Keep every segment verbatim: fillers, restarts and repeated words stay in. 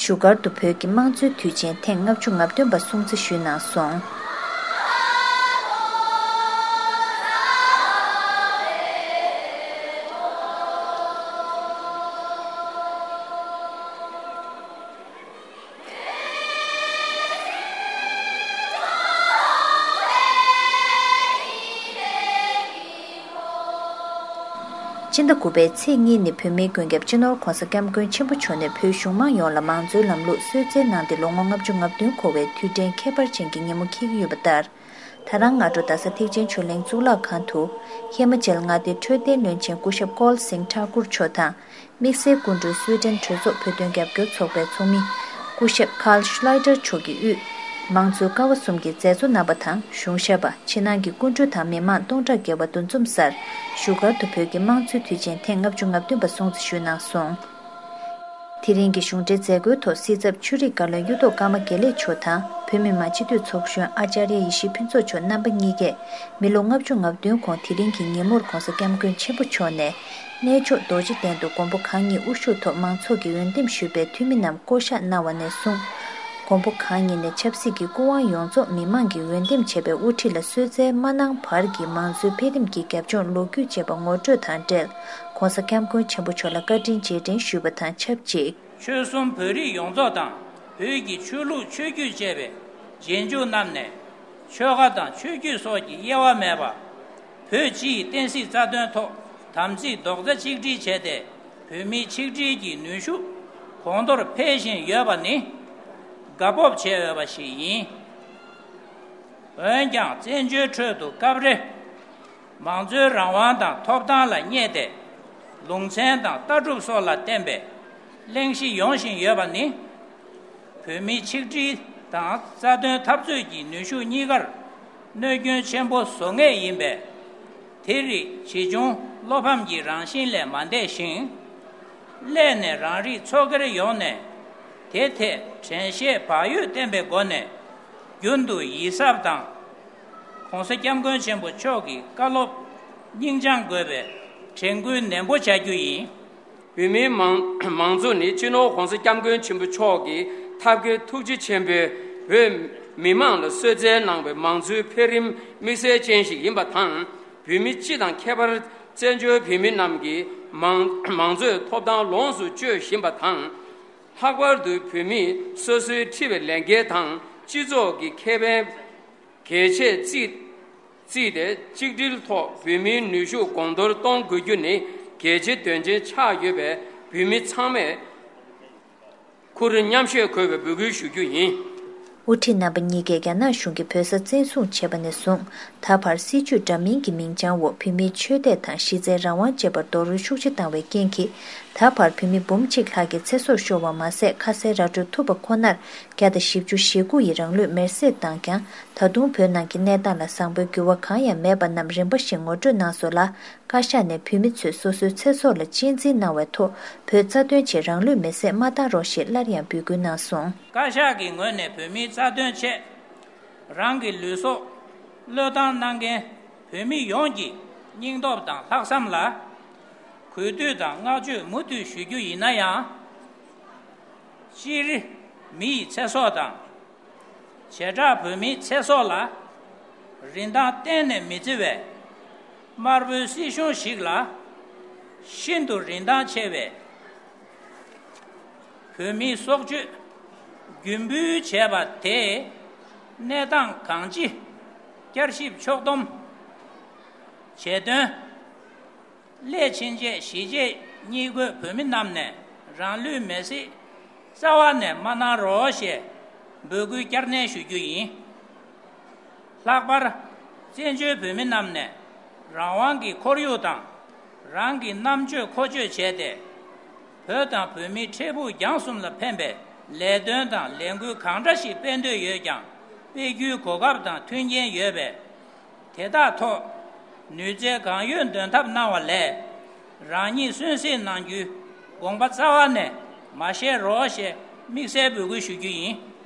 བཞུགས་སྒར་དུ་བོད་ཀྱི་དམངས་གཙོའི་དུས་ཆེན་ཐེངས་ལྔ་བཅུ་ང་བདུན་པ་སྲུང་བརྩི་ཞུས་གནང་སོང་། སྤྱི་ཟླ་དགུ་པའི་ཚེས་གཉིས་ནི་བོད་མིའི་མགོན་སྐྱབས་སྤྱི་ནོར་༧གོང་ས་༧སྐྱབས་མགོན་ཆེན་པོ་མཆོག་ནས་བོད་གཞུང་མང་ཡོངས་ལ་མང་གཙོའི་ལམ་ལུགས་གསོལ་སྩལ་གནང་སྟེ་ལོ་ངོ་ལྔ་བཅུ་ང་བདུན་འཁོར་བའི་དུས་དྲན་ཁྱད་པར་ཅན་གྱི་ཉིན་མོ་འཁེལ་གྱི་ཡོད་པ་ལྟར། ད་རང་སྔ་དྲོ་རྡ་ས་ཐེག་ཆེན་ཆོས་གླིང་གཙུག་ལག་ཁང་དུ། ཧི་མ་ཅལ་མངའ་སྡེའི་འཕྲོད་བསྟེན་བློན་ཆེན་སྐུ་ཞབས་ཀོལ་སིང་ཐཱ་ཀུར་མཆོག་དང་། དམིགས་བསལ་སྐུ་མགྲོན་སུའེ་ཏེན་གྲོས་ཚོགས་བོད་དོན་རྒྱབ་སྐྱོར་ཚོགས་པའི་ཚོགས་མི། སྐུ་ཞབས་ཀཱལ་ཤུ་ལའི་ཏར་མཆོག་གིས་དབུས། མང་གཙོའི་ཀ་བ་གསུམ་གྱི་མཛད་གཙོ་རྣམ་པ་དང་གཞུང་ཞབས་པ། ཕྱི་ནང་གི་སྐུ་མགྲོན་དང་མི་མང་སྟོང་ཕྲག་བརྒལ་བ་འདུ་འཛོམས་སར། བཞུགས་སྒར་དུ་བོད་ཀྱི་དམངས་གཙོའི་དུས་ཆེན་ཐེངས་ལྔ་བཅུ་ང་བདུན་པ་སྲུང་བརྩི་ཞུས་གནང་སོང་། དེ་རིང་གི་གཞུང་འབྲེལ་མཛད་སྒོའི་ཐོག་སྲིད་ཚབ་ཆོས་རིག་བཀའ་བློན་གཡུ་ཐོག་ཀརྨ་དགེ་ལེགས་མཆོག་དང་། བོད་མི་མང་སྤྱི་འཐུས་ཚོགས་གཞོན་ཨ་ཅཱརྱ་ཡེ་ཤེས་ཕུན་ཚོགས་མཆོག་རྣམ་པ་གཉིས་ཀས། མི་ལོ་ལྔ་བཅུ་ང་བདུན་གོང་དེ་རིང་གི་ཉིན་མོར་༧གོང་ས་༧སྐྱབས་མགོན་ཆེན་པོ་མཆོག་ནས། གནས་མཆོག་རྡོ་རྗེ་གདན་དུ་མགོན་པོ་གང་ཉིད་དབུ་བཞུགས་ཐོག་མང་ཚོགས་ཀྱིས་འོས་འདེམས་ཞུས་པའི་འཐུས་མི་རྣམས་བསྐོ་གཞག་གནང་བ་ནས་བཟུང་། མགོན་པོ་གང་ཉིད་ནས་ཆབ་སྲིད་ཀྱི་སྐུ་དབང་ཡོངས་རྫོགས་མི་མང་གིས་འོས་འདེམས་བྱས་པའི་དབུ་ཁྲིད་ལ་གསོལ་སྩལ་མ་གནང་བར་གྱི་མང་གཙོའི་འཕེལ་རིམ་གྱི་རྒྱབ་ལྗོངས་ལོ་རྒྱུས་བཅས་པ་ངོ་སྤྲོད་དང་འབྲེལ། ༸གོང་ས་༸སྐྱབས་མགོན་ཆེན་པོ་མཆོག་ལ་བཀའ་དྲིན་རྗེས་དྲན་ཞུས་པ་དང་ཆབས་ཅིག་ཆོལ་གསུམ་བོད་རིགས་ཡོངས་རྫོགས་དང་། བོད་ཀྱི་ཆོས་ལུགས་ཆོས་བརྒྱུད་བཅས་པའི་རྗེས་འཇུག་རྣམས་ནས། ཆོལ་ཁ་དང་ཆོས་བརྒྱུད་སོགས་ཀྱི་དབྱེ་བ་མེད་པར། བོད་སྤྱིའི་བསྟན་སྲིད་རྩ་དོན་ཐོག་དམ་ཚིག་རྡོག་རྩ་གཅིག་སྒྲིལ་བྱས་ཏེ། བོད་མིའི་ཆིག་སྒྲིལ་གྱི་ནུས་ཤུགས་གོང་མཐོར་འཕེལ་བཞིན་ཡོད་པ་ནི་དགའ་སྤོབས་བྱེད་འོས་པ་ཞིག་ཡིན། འོན་ཀྱང་བཙན་བྱོལ་ཁྲོད་དུ་སྐབས་རེ། མང་གཙོའི་རང་དབང་དང་ཐོབ་ཐང་ལ་བསྙད་དེ། ལུང་ཚན་དང་ལྟ་གྲུབ་སོགས་ལ་བརྟེན་པའི་གླེང་གཞི་ཡོང་བཞིན་ཡོད་པ་ནི། བོད་མིའི་ཆིག་སྒྲིལ་དང་རྩ་དོན་འཐབ་རྩོད་ཀྱི་ནུས་ཤུགས་གཉིས་ཀར་གནོད་སྐྱོན་ཆེན་པོ་བཟོ་ངེས་ཡིན་པས། དེ་རིགས་ཇི་བྱུང་བློ་ཕམ་གྱི་རང་བཞིན་ལས་མ་འདས་ཤིང་། སླད་ནས་རང་རིགས་ཚོགས་སྒེར་ཡོངས་ནས་དེ་ཐད་དྲན་ཤེས་བག་ཡོད་བསྟེན་པའི་སྒོ་ནས། རྒྱུན་དུ་ཡིད་གཟབ་དང་། ༸གོང་ས་༸སྐྱབས་མགོན་ཆེན་པོ་མཆོག་གི་བཀའ་སློབ་སྙིང་བཅངས་དགོས་པའི་དྲན་སྐུལ་ནན་པོ་བྱ་རྒྱུ་ཡིན། བོད་མིའི་མང་མང་གཙོ་ནི་སྤྱི་ནོར་༸གོང་ས་༸སྐྱབས་མགོན་ཆེན་པོ་མཆོག་གིས་ཐབས་མཁས་ཐུགས་རྗེ་ཆེན་པོས་བོད་མི་མང་ལ་གསོལ་སྩལ་གནང་བའི་མང་གཙོའི་འཕེལ་རིམ་དམིགས་བསལ་ཅན་ཞིག་ཡིན་པ་དང་། བོད་མི་སྤྱི་དང་ཁྱད་པར་བཙན་བྱོལ་བོད་མི་རྣམས་ཀྱིས་མང་མང་གཙོའི་ཐོབ་ཐང་ལོངས་སུ་སྤྱོད་བཞིན་པ་དང་། ལྷག་པར་དུ་བོད་མིས་སོ་སོའི་འཁྲི་བའི་ལས་འགན་དང་སྤྱི་ཚོགས་ཀྱི་ཁེ་ཕན་གལ་ཆེར་བརྩིས་བརྩིས་ཏེ། གཅིག་སྒྲིལ་ཐོག་བོད་མིའི་ནུས་ཤུགས་གོང་མཐོར་གཏོང་དགོས་རྒྱུ་ནི་གལ་ཆེ་དོན་ཆེན་ཆགས་ཡོད་པས། བོད་མི་ཚང་མས་ཁུར་མཉམ་བཞེས་དགོས་པའི་འབོད་སྐུལ་ཞུ་རྒྱུ་ཡིན། དབུ་ཁྲིད་རྣམ་པ་གཉིས་ཀས་རྒྱ་ནག་གཞུང་གིས་བོད་ས་བཙན་བཟུང་བྱས་པ་ནས་བཟུང་། ད་བར་སྲིད་བྱུས་འདྲ་མིན་གྱི་མིང་བྱང་འོག་བོད་མིའི་ཆོས་དད་དང་གཞི་རྩའི་རང་དབང་བཅས་པར་རྡོག་རོལ་ཤུགས་ཆེ་བཏང་བའི་རྐྱེན་གྱིས། ད་བར་བོད་མི་འབུམ་གཅིག་ལྷག་གི་ཚེ་སྲོག་ཤོར་བ་མ་ཟད། ཁ་གསལ་ར་སྤྲོད་ཐུབ་པ་ཁོ་ནར། བརྒྱ་དང་བཞི་བཅུ་ཞེ་དགུ་ཡིས་རང་ལུས་མེར་སྲེག་བཏང་ཀྱང་། ད་དུང་བོད་ནང་གི་གནས་སྟངས་ལ་བཟང་པོའི་འགྱུར་བ་གང་ཡང་མེད་པ་རྣམས་རིམ་པ་བཞིན་ངོ་སྤྲོད་གནང་སོང་ལ། བཀའ་ཤག་ནས་བོད་མི་ཚོས་སོ་སོའི་ཚེ་སྲོག་ལ་གཅེས་འཛིན་གནང་བའི་ཐོག་བོད་རྩ་དོན་ཆེད་རང་ལུས་མེར་སྲེག་མ་བཏང་རོགས་ཞེས་སླར་ཡང་འབོད་སྐུལ་གནང་སོང་། བཀའ་ཤག་གི་ངོས་ནས་བོད་མིའི་རྩ་དོན་ཆེད་རང་གི་ལུས་སྲོག་བློས་བཏང་གནང་མཁན་བོད་མི་ཡོངས་ཀྱི་སྙིང་སྟོབས་དང་ལྷག་བསམ་ལ་གུས་འདུད་དང་བསྔགས་བརྗོད་མུ་མཐུད་ཞུ་རྒྱུ་ཡིན་ན་ཡང་། སྤྱིར་མི་ཡི་ཚེ་སྲོག་དང་། བྱེ་བྲག་བོད་མིའི་ཚེ་སྲོག་ལ་རིན་ཐང་གཏན་ནས་མི་བརྩི་བའི་དམར་པོའི་སྲིད་གཞུང་ཞིག་ལ་ཤིན་ཏུ་རིན་ཐང་ཆེ་བའི་བོད་མིའི་སྲོག་གཅོད་རྒྱུ་འབུལ་བྱས་པ་དེས་གནས་སྟངས་གང་ཅི་བསྐྱར་ཞིབ་ཕྱོགས་བསྡོམས་བྱེད་དོན། སླད་ཕྱིན་ཆད་གཞིས་བྱེས་གཉིས་བགོས་བོད་མི་རྣམས་ནས་རང་ལུས་མེར་སྲེག་རྩ་བ་ནས་མ་གནང་རོགས་ཞེས་འབོད་སྐུལ་བསྐྱར་ནན་ཞུ་རྒྱུ་ཡིན། ལྷག་པར་བཙན་བྱོལ་བོད་མི་རྣམས་ནས་རང་དབང་གི་ཁོར་ཡུག་དང་རང་གི་རྣམ་དཔྱོད་མཁོ་སྤྱོད་བྱས་ཏེ། བོད་དང་བོད་མིའི་འཕྲལ་ཕུགས་རྒྱང་གསུམ་ལ་ཕན་པའི་ལས་དོན་དང་ལས་འགུལ་གང་འདྲ་ཞིག་སྤེལ་འདོད་ཡོད་ཀྱང་། སྤེལ་རྒྱུའི་གོ་སྐབས་དང་མཐུན་རྐྱེན་ཡོད་པས། དེ་དག་ཐོག་ནུས་རྩལ་གང་ཡོད་འདོན་ཐབས་གནང་བ་ལས། རང་ཉིད་གསོན་བསྲེགས་གནང་རྒྱུའི་དགོངས་པ་རྩ་བ་ནས་མ་བཞེས་རོགས་ཞེས་དམིགས་བསལ་འབོད་སྐུལ་ཞུ་རྒྱུ་ཡིན།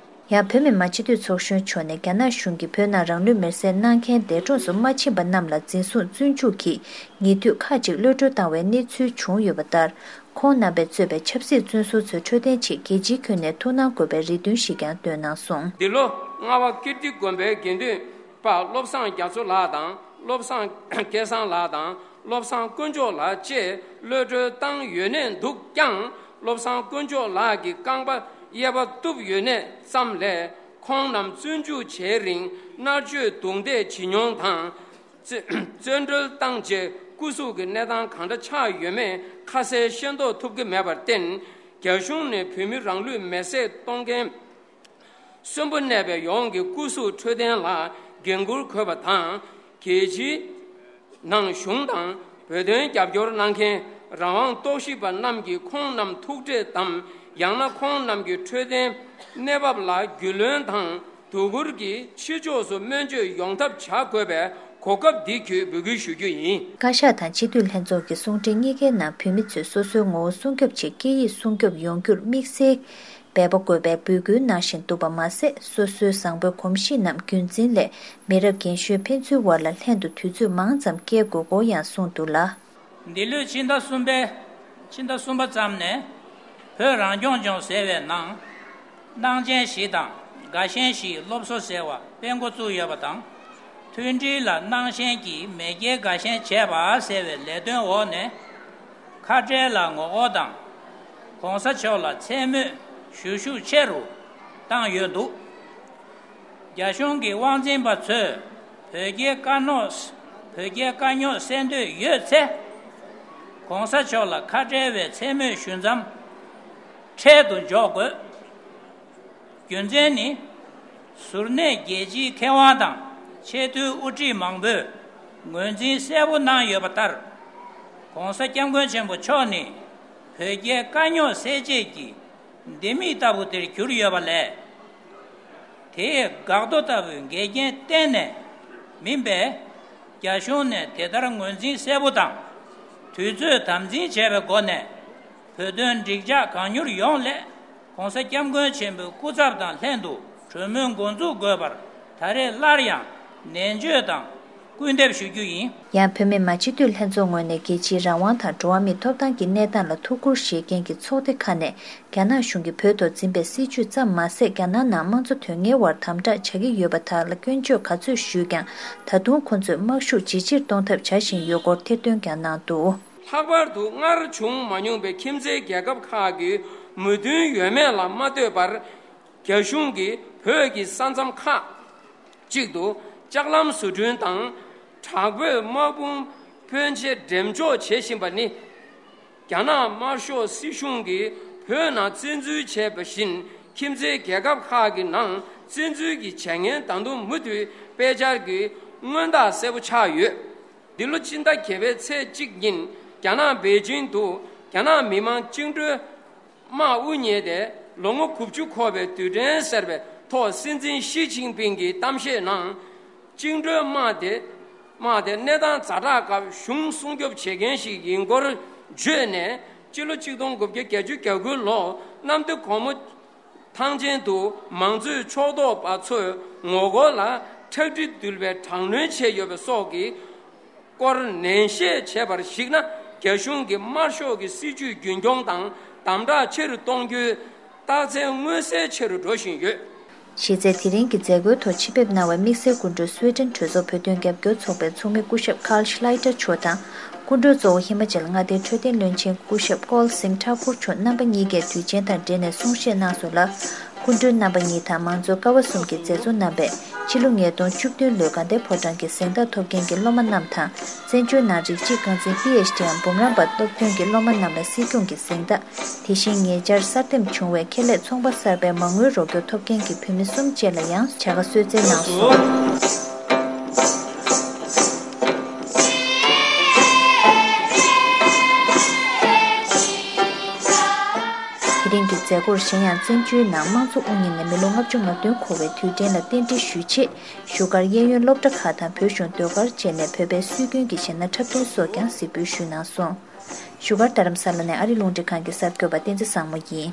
ཡང་བོད་མི་མང་སྤྱི་འཐུས་ཚོགས་གཞོན་མཆོག་ནས་རྒྱ་ནག་གཞུང་གིས་བོད་ནང་རང་ལུས་མེར་སྲེག་གནང་མཁན་འདས་གྲོངས་སུ་མ་ཕྱིན་པ་རྣམས་ལ་འཛིན་བཟུང་བཙོན་འཇུག་གིས་ཉེ་དུས་ཁག་ཅིག་གློད་གྲོལ་བཏང་བའི་གནས་ཚུལ་བྱུང་ཡོད་པ་ལྟར། ཁོང་རྣམ་པས་གཙོས་པའི་ཆབ་སྲིད་བཙོན་ཟུར་ཚོའི་འཕྲོད་བསྟེན་ཆེད་རྒྱལ་སྤྱིའི་ཁྱོན་ནས་ཐུགས་སྣང་དགོས་པའི་རེ་འདུན་ཞིག་ཀྱང་བཏོན་གནང་སོང་། འདི་ལོ་རྔ་བ་ཀིརྟི་དགོན་པའི་དགེ་འདུན་པ་བློ་བཟང་རྒྱ་མཚོ་ལགས་དང་། བློ་བཟང་སྐལ་བཟང་ལགས་དང་། བློ་བཟང་དཀོན་མཆོག་ལགས་བཅས་གློད་གྲོལ་བཏང་ཡོད་གནས་འདུག་ཀྱང་། བློ་བཟང་དཀོན་མཆོག་ལགས་ཀྱི་རྐང་པ་གཡས་པ་གཏུབ་ཡོད་གནས་ཙམ་ལས། ཁོང་རྣམས་བཙོན་འཇུག་བྱེད་རིང་མནར་གཅོད་རྡུང་རྡེག་བྱེད་མྱོང་དང་། བཙོན་བཙོན་གྲོལ་བཏང་རྗེས་སྐུ་གཟུགས་ཀྱི་གནས་སྟངས་གང་འདྲ་ཆགས་ཡོད་མེད་ཁ་གསལ་ཤེས་རྟོགས་ཐུབ་ཀྱི་མེད་པར་བརྟེན། རྒྱ་གཞུང་ནས་བོད་མི་རང་ལུས་མེར་སྲེག་གཏོང་མཁན་གསོན་པོ་གནས་པའི་ཡོངས་ཀྱི་སྐུ་གཟུགས་འཕྲོད་བསྟེན་ལ་འགན་འཁུར་དགོས་པ་དང་། རྒྱལ་སྤྱིའི་ནང་གཞུང་དང་བོད་དོན་རྒྱབ་སྐྱོར་གནང་མཁན་རང་དབང་རྟོག་ཞིབ་པ་རྣམས་ཀྱིས་ཁོང་རྣམས་ཐུག་འཕྲད་དམ། ཡང་ན་ཁོང་རྣམས་ཀྱི་འཕྲོད་བསྟེན་གནས་བབ་ལ་རྒྱུས་ལོན་དང་། དོ་ཁུར་གྱིས་ཕྱི་ཕྱོགས་སུ་སྨན་བཅོས་ཡོང་ཐབས་བྱ་དགོས་པའི་གོ་སྐབས་འདི་བརྒྱུད་འབོད་སྐུལ་ཞུ་རྒྱུ་ཡིན། བཀའ་ཤག་དང་སྤྱི་འཐུས་ལྷན་ཚོགས་ཀྱི་གསུང་འཕྲིན་གཉིས་ཀའི་ནང་བོད་མི་ཚོས་སོ་སོའི་ངོ་བོ་སྲུང་སྐྱོབ་ཆེད་སྐད་ཡིག་སྲུང་སྐྱོབ་ཡོང་རྒྱུར་དམིགས་བསལ་འབད་པ་དགོས་པའི་འབོད་སྐུལ་གནང་བཞིན་འདུག་པ་མ་ཟད། སོ་སོའི་བཟང་པོའི་གོམས་གཤིས་རྣམས་རྒྱུན་འཛིན་སླད་མི་རབས་རྒན་གཞོན་ཕན་ཚུན་དབར་ལ་ལྷན་དུ་དུས་ཚོད་མང་ཙམ་བསྐྱལ་དགོས་སྐོར་ཡང་གསུངས་འདུག་ལ། འདི་ལོའི་ཕྱི་ཟླ་གསུམ་པའི་ཕྱི་ཟླ་གསུམ་པ་ཙམ་ནས་བོད་རང་སྐྱོང་ལྗོངས་ཟེར་བའི་ནང་། སྣང་ཆེན་བཞི་དང་དགའ་ཞེན་བཞིའི་སློབ་གསོ་ཟེར་བ་སྤེལ་འགོ་བཙུགས་ཡོད་པ་དང་། མཐུན་སྒྲིལ་ལ་སྣང་ཞེན་གྱིས་མེས་རྒྱལ་དགའ་ཞེན་བྱས་པ་ཟེར་བའི་ལས་དོན་འོག་ནས། ཁ་བྲལ་ལ་ངོ་རྒོལ་དང་། ༸གོང་ས་མཆོག་ལ་མཚན་སྨོད་ཞུ་ཤུགས་ཆེ་རུ་བཏང་ཡོད་འདུག་རྒྱ་གཞུང་གི་དབང་འཛིན་པ་ཚོས་བོད་རྒྱའི་དཀའ་རྙོག་བོད་རྒྱའི་དཀའ་རྙོག་སེལ་འདོད་ཡོད་ཚེ། ༸གོང་ས་མཆོག་ལ་ཁ་བྲལ་བའི་མཚན་སྨོད་ཞུ་མཚམས་འཕྲལ་དུ་འཇོག་དགོས། རྒྱུ་མཚན་ནི། གཟུར་གནས་རྒྱལ་སྤྱིའི་མཁས་དབང་དང་ཆེས་མཐོའི་དབུ་ཁྲིད་མང་པོས་ངོས་འཛིན་གསལ་པོ་གནང་ཡོད་པ་ལྟར། ༸གོང་ས་༸སྐྱབས་མགོན་ཆེན་པོ་མཆོག་ནི་བོད་རྒྱའི་དཀའ་རྙོག་སེལ་བྱེད་ཀྱི་ལྡེ་མིག་ལྟ་བུ་དེར་གྱུར་ཡོད་པ་ལས། དེའི་འགག་རྡོ་ལྟ་བུའི་འགལ་རྐྱེན་གཏན་ནས་མིན་པས། རྒྱ་གཞུང་ནས་དེ་ལྟར་ངོས་འཛིན་གསལ་པོ་དང་། དུས་ཚོད་དམ་འཛིན་བྱས་པའི་སྒོ་ནས། བོད་དོན་འགྲིག་འཇགས་གང་མྱུར་ཡོང་སླད། ༸གོང་ས་༸སྐྱབས་མགོན་ཆེན་པོའི་སྐུ་ཚབ་དང་ལྷན་དུ་གྲོས་མོལ་འགོ་འཛུགས་དགོས་པར་ད་རེས་སླར་ཡང་ནན་བརྗོད་དང་སྐུལ་འདེབས་ཞུ་རྒྱུ་ཡིན། ཡང་བོད་མི་མང་སྤྱི་འཐུས་ལྷན་ཚོགས་ངོས་ནས་རྒྱལ་སྤྱིའི་རང་དབང་དང་འགྲོ་བ་མིའི་ཐོབ་ཐང་གི་གནས་སྟངས་ལ་ཐུགས་ཁུར་བཞེས་མཁན་གྱི་ཚོགས་སྡེ་ཁག་ནས། རྒྱ་ནག་གཞུང་གིས་བོད་ཐོག་འཛིན་པའི་སྲིད་བྱུས་ཙམ་མ་ཟད། རྒྱ་ནག་ནང་དམངས་གཙོ་དོན་གཉེར་བར་དམ་དྲག་བྱ་གི་ཡོད་པ་དག་ལ་སྐྱོན་བརྗོད་ག་ཚོད་ཞུས་ཀྱང་། ད་དུང་ཁོ་ཚོས་དམག་ཤུགས་ཇེ་ཆེར་གཏོང་ཐབས་བྱ་བཞིན་ཡོད་སྐོར་ཐེར་འདོན་ཀྱང་གནང་འདུག། ལྷག་པར་དུ་སྔར་བྱུང་མ་མྱོང་པའི་ཁྱིམ་མཚེས་རྒྱལ་ཁབ་ཁག་གི་མོས་མཐུན་ཡོད་མེད་ལ་མ་ལྟོས་པར། རྒྱ་གཞུང་གིས་བོད་ཀྱི་ས་མཚམས་ཁག་ཅིག་ཏུ་ལྕགས་ལམ་བཟོ་སྐྲུན་དང་། དྲག་པོའི་དམག་དཔུང་ཕོན་ཆེ་འགྲེམས་འཇོག་བྱེད་བཞིན་པ་ནི། རྒྱ་ནག་དམར་ཤོག་སྲིད་གཞུང་གིས་བོད་ནང་བཙན་འཛུལ་བྱས་པ་བཞིན། ཁྱིམ་མཚེས་རྒྱལ་ཁབ་ཁག་གི་ནང་བཙན་འཛུལ་གྱི་བྱ་ངན་ད་དུང་མུ་མཐུད་སྤེལ་འཆར་གྱི་མངོན་རྟགས་གསལ་པོ་ཆགས་ཡོད། འདི་ལོ་སྤྱི་ཟླ་བརྒྱད་པའི་ཚེས་གཅིག་ཉིན། རྒྱ་ནག་པེ་ཅིང་དུ་རྒྱ་ནག་མི་དམངས་བཅིངས་འགྲོལ་དམག་དབུ་བརྙེས་ཏེ་ལོ་ངོ་དགུ་བཅུ་འཁོར་བའི་དུས་དྲན་ཟེར་བའི་ཐོག་སྲིད་འཛིན་ཞི་ཅིན་ཕིང་གི་གཏམ་བཤད་ནང་། བཅིངས་འགྲོལ་དམག་དེ་དམག་དེ་གནས་སྟངས་ཛ་དྲག་སྐབས་གཞུང་སྲུང་སྐྱོབ་བྱེད་མཁན་ཞིག་ཡིན་སྐོར་བརྗོད་ནས། སྤྱི་ལོ་གཅིག་སྟོང་དགུ་བརྒྱ་བརྒྱད་ཅུ་གྱ་དགུ་ལོ་གནམ་བདེ་སྒོ་མོ་ཐང་ཆེན་དུ་མང་གཙོའི་ཕྱོགས་གཏོགས་པ་ཚོས་ངོ་རྒོལ་ལ་ཁྲག་དྲི་འདུལ་བའི་དྲག་གནོན་བྱས་ཡོད་པ་སོགས་ཀྱི་སྐོར་ནན་བཤད་བྱས་པར་གཞིགས་ན། རྒྱ་གཞུང་གིས་དམར་ཤོག་གི་སྲིད་བྱུས་རྒྱུན་འཁྱོངས་དང་དམ་དྲག་ཆེ་རུ་གཏོང་རྒྱུའི་རྟགས་མཚན་མངོན་གསལ་ཆེ་རུ་འགྲོ་བཞིན་ཡོད། གཞི་རྩའི་དེ་རིང་གི་མཛད་སྒོའི་ཐོག་ཆེད་ཕེབས་གནང་བའི་དམིགས་བསལ་སྐུ་མགྲོན་སུའེ་ཏེན་གྲོས་ཚོགས་བོད་དོན་རྒྱབ་སྐྱོར་ཚོགས་པའི་ཚོགས་མི་སྐུ་ཞབས་ཀཱལ་ཤི་ལའི་ཏར་མཆོག་དང་། སྐུ་མགྲོན་གཙོ་བོ་ཧི་མ་ཅལ་མངའ་སྡེའི་འཕྲོད་བསྟེན་བློན་ཆེན་སྐུ་ཞབས་ཀོལ་སིང་ཐ་ཀུར་མཆོག་རྣམ་པ་གཉིས་ཀས་དུས་ཆེན་དང་འབྲེལ་ནས་གསུང་བཤད་གནང་སོང་ལ། སྐུ་མགྲོན་རྣམ་པ་གཉིས་དང་མང་གཙོ་ཀ་བ་གསུམ་གྱི་མཛད་གཙོ་རྣམ་པས་ཕྱི་ལོ་ཉིས་སྟོང་བཅུ་བདུན་ལོའི་དགའ་ལྡན་ཕོ་བྲང་གི་གཟེངས་རྟགས་ཐོབ་མཁན་གྱི་སློབ་མ་རྣམས་དང་། བཙན་བྱོལ་ནང་རིགས་གཅིག་རྐང་འཛིན་པི་ཨེཆ་ཌི་འམ་འབུམ་རམས་པ་སློབ་ཐོན་གྱི་སློབ་མ་རྣམས་ལ་སྲིད་སྐྱོང་གི་གཟེངས་རྟགས། དེ་བཞིན་ཉེ་ཆར་གསར་འདེམས་བྱུང་བའི་ཁེ་ལས་ཚོང་པ་གསར་པའི་མ་དངུལ་རོགས་སྐྱོར་ཐོབ་མཁན་གྱི་བོད་མི་གསུམ་བཅས་ལ་ཡང་བྱ་དགའ་གསོལ་སྩལ་གནང་སོང་། དེ་རིང་གི་མཛད་སྒོར་གཞན་ཡང་། བཙན་བྱོལ་ནང་དམངས་གཙོ་དབུ་བརྙེས་ནས་མི་ལོ་ལྔ་བཅུ་ང་བདུན་འཁོར་བའི་དུས་དྲན་ལ་རྟེན་འབྲེལ་ཞུ་ཆེད། བཞུགས་སྒར་གཡས་གཡོན་སློབ་གྲྭ་ཁག་དང་བོད་གཞུང་ཟློས་གར་བཅས་ནས་བོད་པའི་སྲོལ་རྒྱུན་གྱི་གཞས་སྣ་འཁྲབ་སྟོན་སོགས་ཀྱང་གཟིགས་འབུལ་ཞུས་གནང་སོང་། བཞུགས་སྒར་རྡ་རམ་ས་ལ་ནས་ཨ་རི་རླུང་འཕྲིན་ཁང་གི་གསར་འགོད་པ་བསྟན་འཛིན་བཟང་མོ་ཡིན།